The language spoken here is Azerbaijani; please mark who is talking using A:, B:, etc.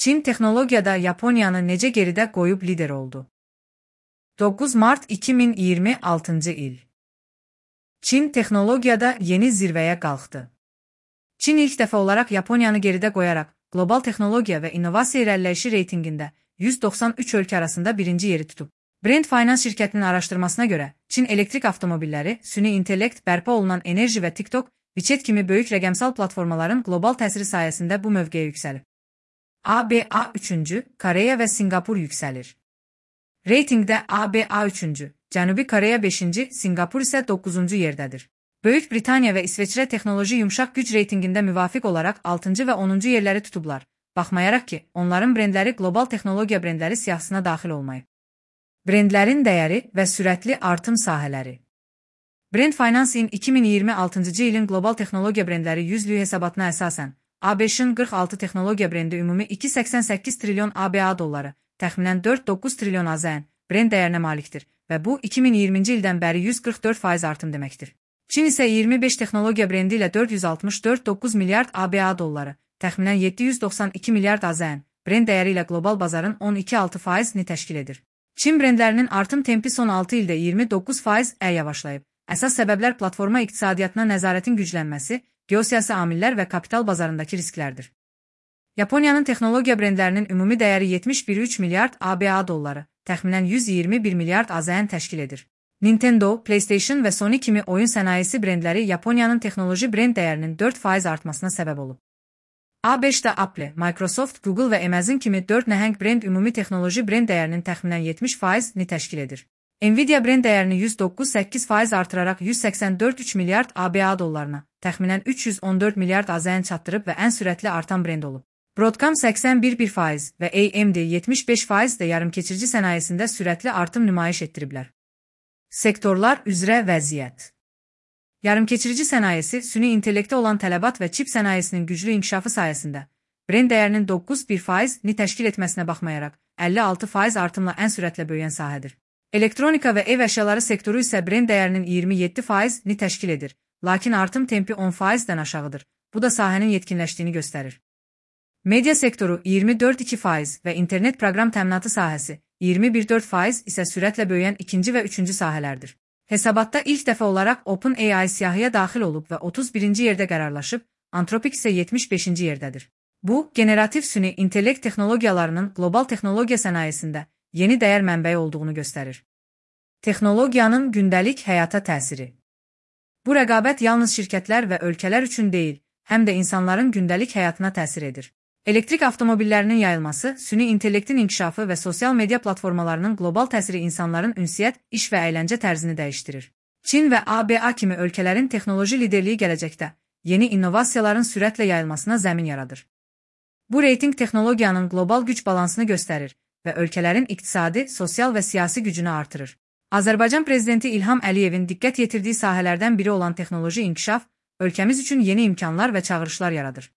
A: Çin texnologiyada Yaponiyanı necə geridə qoyub lider oldu? 9 Mart 2026 il. Çin texnologiyada yeni zirvəyə qalxdı. Çin ilk dəfə olaraq Yaponiyanı geridə qoyaraq qlobal texnologiya və innovasiya irəliləyişi reytingində 193 ölkə arasında birinci yeri tutub. Brand Finance şirkətinin araşdırmasına görə, Çin elektrik avtomobilləri, süni intellekt, bərpa olunan enerji və TikTok, WeChat kimi böyük rəqəmsal platformaların qlobal təsiri sayəsində bu mövqeyə yüksəlib. ABA 3-cü, Koreya və Sinqapur yüksəlir. Reytingdə ABA 3-cü, Cənubi Koreya 5-ci, Sinqapur isə 9-cu yerdədir. Böyük Britaniya və İsveçrə texnoloji yumşaq güc reytingində müvafiq olaraq 6-cı və 10-cu yerləri tutublar, baxmayaraq ki, onların brendləri qlobal texnologiya brendləri siyahısına daxil olmayıb. Brendlərin dəyəri və sürətli artım sahələri. Brand Finance-in 2026-cı ilin qlobal texnologiya brendləri 100-lük hesabatına əsasən, ABŞ-ın 46 texnologiya brendi ümumi 2,88 trilyon ABA dolları, təxminən 4,9 trilyon AZN brend dəyərinə malikdir və bu 2020-ci ildən bəri 144% artım deməkdir. Çin isə 25 texnologiya brendi ilə 464,9 milyard ABA dolları, təxminən 792 milyard AZN brend dəyəri ilə qlobal bazarın 12,6%-ni təşkil edir. Çin brendlərinin artım tempi son 6 ildə 29% yavaşlayıb. Əsas səbəblər platforma iqtisadiyyatına nəzarətin güclənməsi, geosiyasi amillər və kapital bazarındakı risklərdir. Yaponiyanın texnologiya brendlərinin ümumi dəyəri 71,3 milyard ABA dolları, təxminən 121 milyard AZN təşkil edir. Nintendo, PlayStation və Sony kimi oyun sənayesi brendləri Yaponiyanın texnoloji brend dəyərinin 4% artmasına səbəb olub. A5-də Apple, Microsoft, Google və Amazon kimi 4 nəhəng brend ümumi texnoloji brend dəyərinin təxminən 70%-ni təşkil edir. Nvidia brend dəyərini 109,8% artıraraq 184,3 milyard ABA dollarına, təxminən 314 milyard AZN çatdırıb və ən sürətli artan brend olub. Broadcom 81,1% və AMD 75% də yarımkeçirici sənayesində sürətli artım nümayiş etdiriblər. Sektorlar üzrə vəziyyət. Yarımkeçirici sənayesi, süni intellektə olan tələbat və çip sənayesinin güclü inkişafı sayəsində brend dəyərinin 9,1%-ni təşkil etməsinə baxmayaraq 56% artımla ən sürətlə böyüyən sahədir. Elektronika və ev əşyaları sektoru isə brend dəyərinin 27%-ni təşkil edir, lakin artım tempi 10%-dən aşağıdır. Bu da sahənin yetkinləşdiyini göstərir. Media sektoru 24,2% və internet proqram təminatı sahəsi 21,4% isə sürətlə böyüyən ikinci və üçüncü sahələrdir. Hesabatda ilk dəfə olaraq OpenAI siyahıya daxil olub və 31-ci yerdə qərarlaşıb, Anthropic isə 75-ci yerdədir. Bu, generativ süni intellekt texnologiyalarının qlobal texnologiya sənayesində yeni dəyər mənbəyi olduğunu göstərir. Texnologiyanın gündəlik həyata təsiri. Bu rəqabət yalnız şirkətlər və ölkələr üçün deyil, həm də insanların gündəlik həyatına təsir edir. Elektrik avtomobillərinin yayılması, süni intellektin inkişafı və sosial media platformalarının qlobal təsiri insanların ünsiyyət, iş və əyləncə tərzini dəyişdirir. Çin və ABA kimi ölkələrin texnoloji liderliyi gələcəkdə yeni innovasiyaların sürətlə yayılmasına zəmin yaradır. Bu reyting texnologiyanın qlobal güc balansını göstərir və ölkələrin iqtisadi, sosial və siyasi gücünü artırır. Azərbaycan prezidenti İlham Əliyevin diqqət yetirdiyi sahələrdən biri olan texnoloji inkişaf, ölkəmiz üçün yeni imkanlar və çağırışlar yaradır.